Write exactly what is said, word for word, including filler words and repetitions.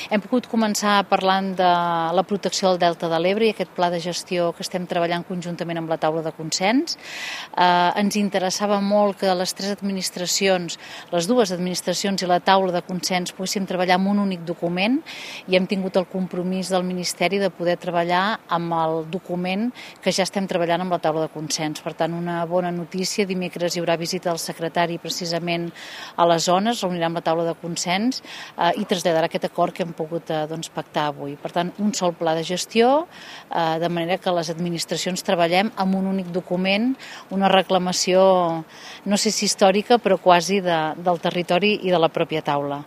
Hem pogut començar parlant de la protecció del Delta de l'Ebre i aquest pla de gestió que estem treballant conjuntament amb la taula de consens. Eh, ens interessava molt que les tres administracions, les dues administracions i la taula de consens poguéssim treballar amb un únic document i hem tingut el compromís del Ministeri de poder treballar amb el document que ja estem treballant amb la taula de consens. Per tant, una bona notícia. Dimecres hi haurà visita del secretari precisament a les zones, reunirà amb la taula de consens eh, i traslladarà aquest acord que hem pogut eh, doncs, pactar avui. Per tant, un sol pla de gestió, eh, de manera que les administracions treballem amb un únic document, una reclamació, no sé si històrica, però quasi de, del territori i de la pròpia taula.